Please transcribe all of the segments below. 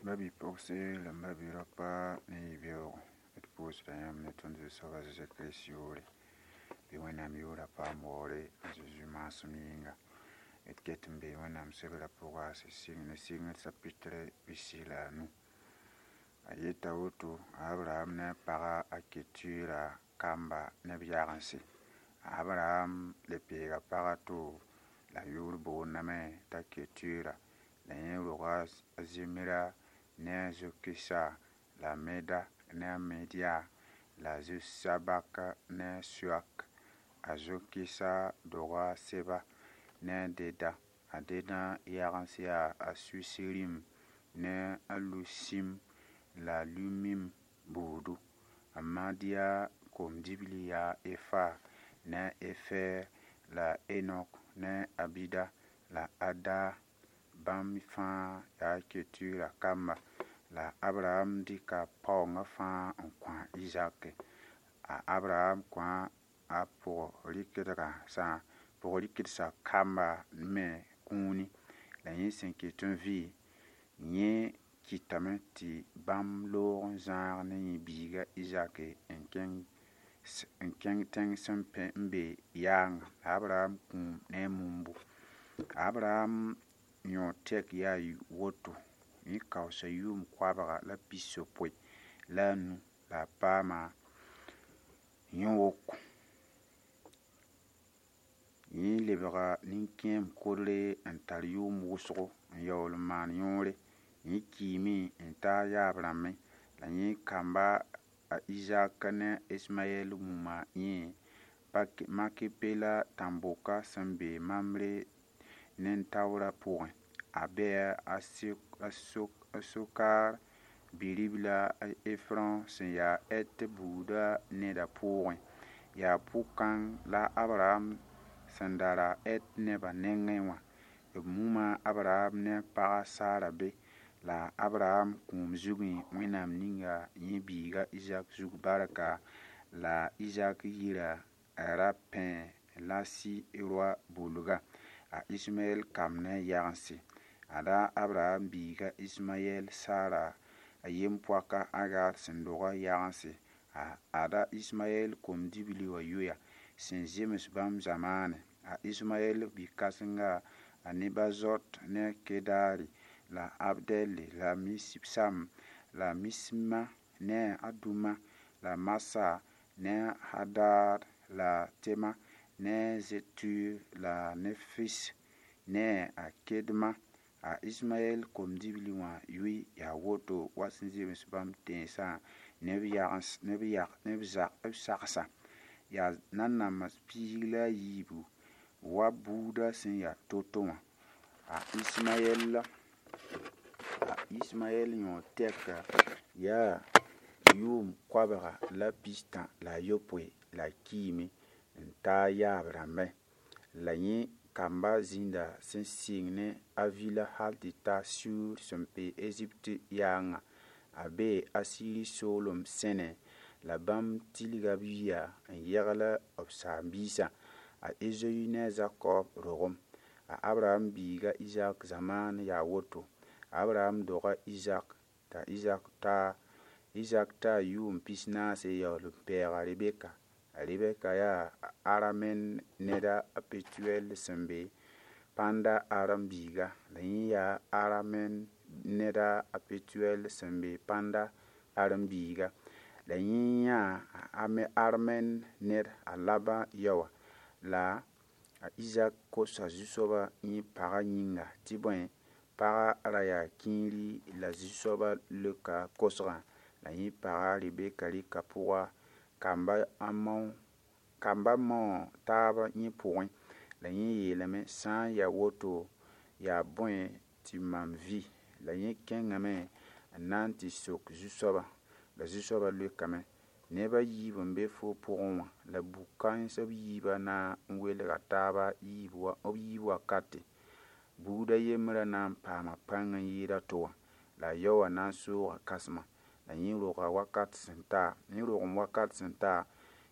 Ba-bi-pogse la m ba-bi-raopa ne yi-beoogo, d pʋʋsda yãmb ne tõnd Zu-soab a Zezi Kirist yʋʋre. Bɩ Wẽnnaam yʋʋra paam waoore a Zezi maasem yĩnga. D ket n bee Wẽnnaam sebrã pʋga sẽn sɩng ne sɩngd sapitre 45. A yeta woto, a Abraham ne a paga a Ketura kamba ne b yagense. A Abraham le peega pag a to la a yʋʋr boondame t'a Ketura, la yẽ roga a Zimra ne a Zokisa la a Meda ne a Media la a Zisabak ne a Suak. A Zokisa doga a Seba ne a Deda. A Deda yagens yaa a Susirim ne a Lusim la a Lumim buudu. A Madiya kom-dibli yaa Efa ne a Efer la a Enok ne a Abida la a Ada. Bãmb fãa yaa Ketura kamba. La a Abraham dɩka paoongã fãa n kõ a Izaki. A Abraham kõ a pʋg-rɩkdsã kamba me kũuni. La yẽ sẽn ket n vɩ, yẽ kɩtame tɩ bãmb loog n zãag ne yẽ biiga Izaki n kẽng tẽng sẽn be yaanga. La Abraham kũum ne a mumbu. A Abraham yõod tɛk yaa woto: yẽ kaoosa yʋʋm koabga la 65 la a paama yõ-woko. Yẽ lebga nin-kẽem kodre n tar yʋʋm wʋsgo n yaool n maan yõore. Yẽ kiime n ta a yaab-rãmbẽ, la yẽ kamba a Izak ne a Ismayɛl muma yẽ Makepela tãn-boka sẽn be Mamre nen-taoorã pʋgẽ. A bɛɛ a Sokar bi-ribla a Efrõ sẽn ya Het buudã neda pʋʋgẽ. Yaa pʋ-kãng la a Abraham sẽn da ra Het nebã nengẽ wã. B muma Abraham ne a paga Sara be. La a Abraham kũum zugẽ, Wẽnnaam ninga yẽ biiga Izak zug barka, la Izak yira ra Pẽ-lasi-roi bulga. A Ismayɛl kamb ne a yagense. Ada a Abraham biiga Ismayɛl Sara a yem-poaka Agar sẽn doga yagense. A ada Ismayɛl kom-dibli wã yoya sẽn zems bãmb zamaanẽ. A Ismayɛl bi-kãsenga a Nebazot ne a Kedari la a Abdɛl la Mibsam la Misma ne a Duma la Masa ne a Hadad la Tema ne Zetur la Nefis ne a Kedma. A Ismayɛl kom-dibli wã yʋɩ yaa woto wa sẽn zems bãmb tẽnsã ne b sagsã. Yaa nanams 14 wa buudã sẽn yaa to-to wã. A Ismayɛl yõod tɛka yaa yʋʋm 139 la a kiime n ta a yaab-rãmbẽ. La yẽ kamba zĩnda sẽn sɩng ne Avila hal tɩ ta Sur sẽn be Ezipt yaangã. A bee Asiri soolem sẽne la bãmb tilga b yiya n yegl b saam-biisã. A Ezoyi ne a Zakob rogem. A Abraham biiga Izak zamaan yaa woto. Abraham doga Izak t'a Izak ta yʋʋm 44 yaool n pɛɛga Rebeka. A Rebeka yaa Aramɛn ned a Petuɛl sẽn be Pãnda Aram biiga. La yẽ yaa Aramɛn ned a Petuɛl sẽn be Pãnda Aram biiga. La yẽ yãa Aramɛn ned a Laban yaoã. La a Izak kosa Zu-soabã yẽ pagã yĩnga tɩ bõe, pagã ra yaa kĩiri la Zu-soabã leoka kosgã. La yẽ paga Rebeka rɩka pʋga kamba mao taab yẽ pʋgẽ. La yẽ yeelame sã n yaa woto yaa bõe tɩ mam vɩ. La yẽ kẽngame n na n tɩ sok Zu-soabã. La Zu-soabã leokame: neb a yiib n be fo pʋgẽ wã, la bu-kãens b yiibã na n welga taaba b yiib wakate. Buud a yembrã na n paama pãng n yɩɩd a to wã, la a yao wã na n sooga kãsema. La yẽ roga wakat sẽn ta, yẽ rogem wakat sẽn ta,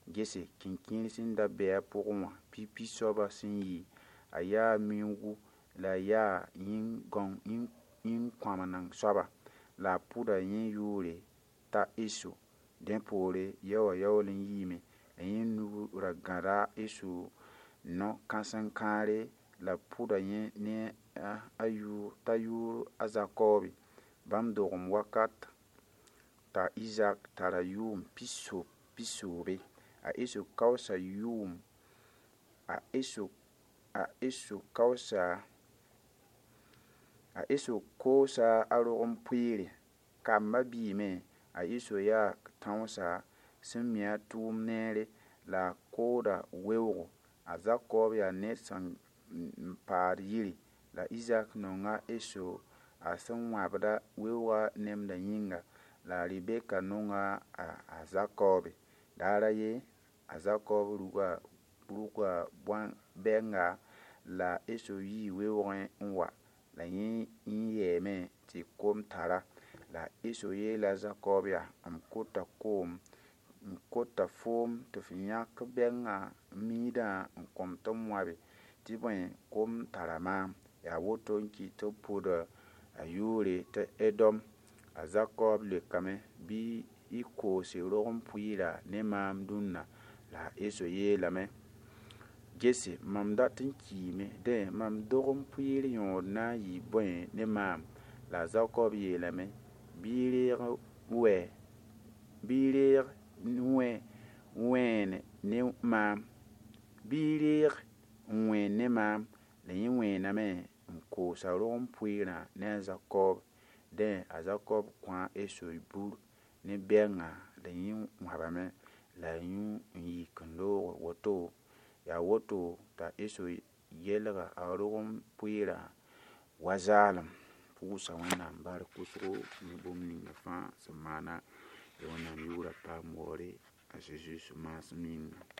gese kẽnkẽer sẽn da bɩ a pʋgẽ wã, pipi soabã sẽn yɩ, a yaa miuugu la a yaa yĩn-kãmeneng soaba. La a pʋda yẽ yʋʋre t'a Eso. Dẽ poore yaoowã yaool n yiime la yẽ nug ra gãda a Eso no-kãsen-kãare la pʋda yẽ ne a yʋʋr t'a yʋʋr a Zakoobe. Bãmb dogem wakat t'a Izak tara yʋʋm pisoobe. A Eso kaoosa yʋʋm a Eso a Eso kaoosa a Eso koosa a rog-n-pʋɩɩre. Kambã biime a Eso yaa tãoosa sẽn mi a tʋʋm neere la a kooda weoogo. A Zakoob yaa ned sẽn paad yiri la Izak nonga Eso a sẽn wãbda weoogã nemdã yĩnga la a Rebeka nonga a Zakoobe. Daar a yen a Zakoob rʋga bõn-bɛnga la Eso yii weoogẽ n wa la yẽ yɛɛme tɩ kom tara. La Eso yeela a Zakoob yaa m kota koom m kota foom tɩ f yãk bɛngã miidã n kõ-m tɩ m wãbe tɩ bõe kom tara maam. Yaa woto n kɩt tɩ b pʋd a yʋʋre tɩ Edom. A Zakoob leokame bɩ y koose rog-n-pʋɩɩrã ne maam dũnna. La a Eso yeelame gese mam dat n kiime dẽ mam dog-n-pʋɩɩr yõod na n yɩ bõe ne maam. La a Zakoob yeelame bɩ y reeg wɛ bɩ y reeg wẽen ne maam bɩ y reeg n wẽen ne maam la yẽ wẽename n koos a rog-n-pʋɩɩrã ne a Zakoob. Dẽ a Zakoob kõ a Eso bur ne bɛngã la yẽ wãbame la a yũ n yik n looge woto. Yaa woto t'a Eso yelga a rog-n-pʋɩɩrã wa zaalem. Pʋʋsa Wẽnnaam bark wʋsgo ne bũmb ninga fãa sẽn maana. Wẽnnaam yʋʋrã paam waoore a Zeezi maasem yĩnga.